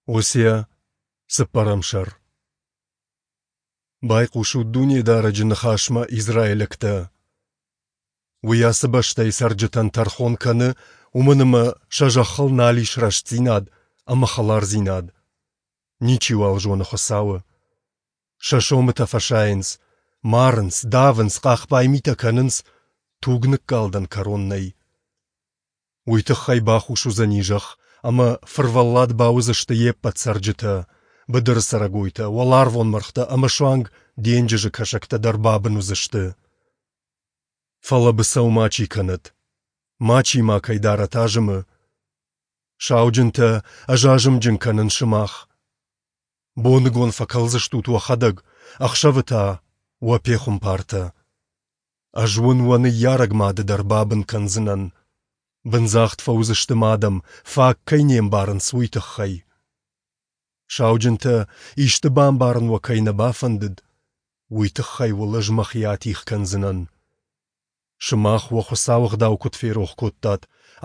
Осиа, цыппӕрӕм сӕр. Байхъусут Дунедарӕджы ныхасмӕ, израилӕгтӕ! Уый ацы бӕстӕйы цӕрджытӕн тӕрхон кӕны, уымӕн ӕмӕ сӕ зӕххыл нал ис рӕстдзинад ӕмӕ хӕлардзинад. Ничиуал зоны Хуыцауы. Сӕ сомытӕ фӕсайынц, марынц, давынц, хъахбай митӕ кӕнынц, туг ныккалдӕн кӕрон нӕй. Уый тыххӕй бахус уыдзӕни зӕхх, ӕмӕ фырвӕллад бауыдзысты йе ппӕт цӕрджытӕ, быдыры цӕрӕгойтӕ, уӕларвон мӕргътӕ ӕмӕ суанг денджызы кӕсӕгтӕ дӕр бабын уыдзысты. Фӕлӕ быцӕу мачи кӕнӕд, мачи макӕй дарӕт азымы. Сауджынтӕ, ӕз азымджын кӕнын сымах. Боныгон фӕкӕлдзыстут уӕхӕдӕг, ӕхсӕвы та — уӕ пехуымпартӕ. Ӕз уын уӕ ныййарӕг мады дӕр бабын кӕндзынӕн. Бындзагъд фӕуыдзысты мӕ адӕм, фаг кӕй не мбарынц, уый тыххӕй. Сауджынтӕ, исты бамбарын уӕ кӕй нӕ бафӕндыд, уый тыххӕй уыл ӕз мӕхи атигъ кӕндзынӕн. Сымах уӕ Хуыцауы ӕгъдау куыд ферох кодтат,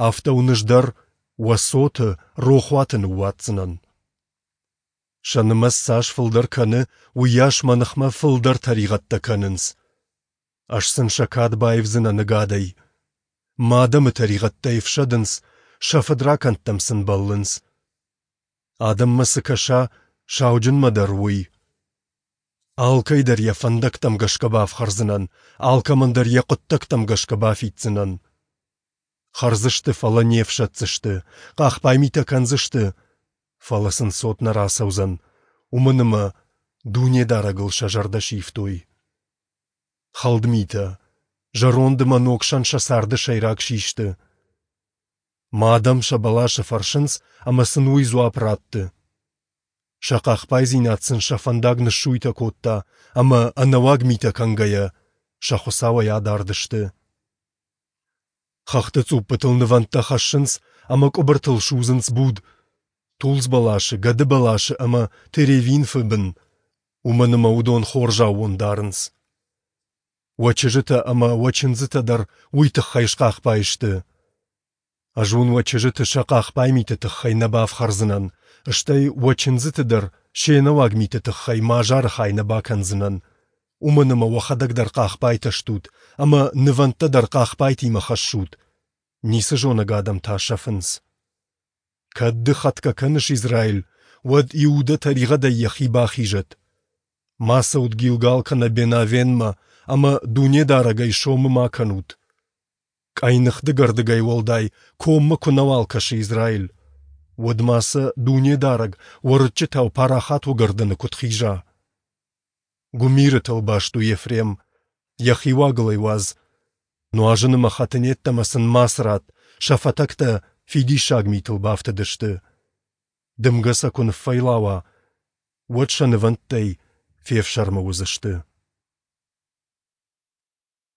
афтӕ уын ӕз дӕр уӕ цоты рохуаты ныууадздзынӕн. Сӕ нымӕц цас фылдӕр кӕны, уыйас мӕ ныхмӕ фылдӕр тӕригъӕдтӕ кӕнынц. Ӕз сын сӕ кад баивдзынӕн ӕгадӕй. Мӕ адӕмы тӕригъӕдтӕй ӕфсӕдынц, сӕ фыдракӕндтӕм сын бӕллынц. Адӕммӕ цы кӕса, сауджынмӕ дӕр уый. Алкӕй дӕр йӕ фӕндӕгтӕм гӕсгӕ бафхӕрдзынӕн, алкӕмӕн дӕр йӕ хъуыддӕгтӕм гӕсгӕ бафиддзынӕн. Хӕрдзысты, фӕлӕ не фсӕддзысты, хъахбай митӕ кӕндзысты, фӕлӕ сын цот нӕ рацӕудзӕн, уымӕн ӕмӕ Дунедарӕгыл сӕ зӕрдӕ сивтой. Хӕлд митӕ, зӕронд ӕмӕ ног сӕн сӕ царды сӕйраг систы. Мӕ адӕм сӕ бӕласы фӕрсынц, ӕмӕ сын уый дзуапп ратты. Сӕ хъахбайдзинад сын сӕ фӕндаг ныссуйтӕ кодта ӕмӕ, ӕнӕуаг митӕ кӕнгӕйӕ, сӕ Хуыцауӕй адард сты. Хӕхты цъуппытыл нывӕндтӕ хӕссынц ӕмӕ къуыбыртыл судзынц буд, тулдз бӕласы, гӕды бӕласы ӕмӕ теревинфы бын, уымӕн ӕмӕ уыдон хорз аууон дарынц. Уӕ чызджытӕ ӕмӕ уӕ чындзытӕ дӕр уый тыххӕй схъахбай сты. Ӕз уын уӕ чызджыты сӕ хъахбай миты тыххӕй нӕ бафхӕрдзынӕн, стӕй уӕ чындзыты дӕр се нӕуаг миты тыххӕй мӕ азары хай нӕ бакӕндзынӕн, уымӕн ӕмӕ уӕхӕдӕг дӕр хъахбайтӕ стут ӕмӕ нывӕндтӕ дӕр хъахбайтимӕ хӕссут, ницы зонӕг адӕм та сӕфынц. Кӕд ды хӕтгӕ кӕныс, Израиль, уӕд Иудӕ тӕригъӕдӕй йӕхи бахизӕд. Ма цӕут Гилгал кӕнӕ Бен-Авенмӕ ӕмӕ Дунедарӕгӕй сомы ма кӕнут. Къӕйных дыгӕрдыгӕй уӕлдай коммӕ куы нӕуал кӕсы Израиль, уӕд ма сӕ Дунедарӕг уӕрыччытау парахат уыгӕрдӕны куыд хиза? Гуымирытыл баст у Ефрем, йӕхи уагыл ӕй уадз. Нуазын ӕмӕ хӕтын йеддӕмӕ сын мацы ратт, сӕ фӕтӕгтӕ фидиссаг митыл бафтыдысты. Дымгӕ сӕ куы ныффӕйлауа, уӕд сӕ нывӕндтӕй фефсӕрмы уыдзысты.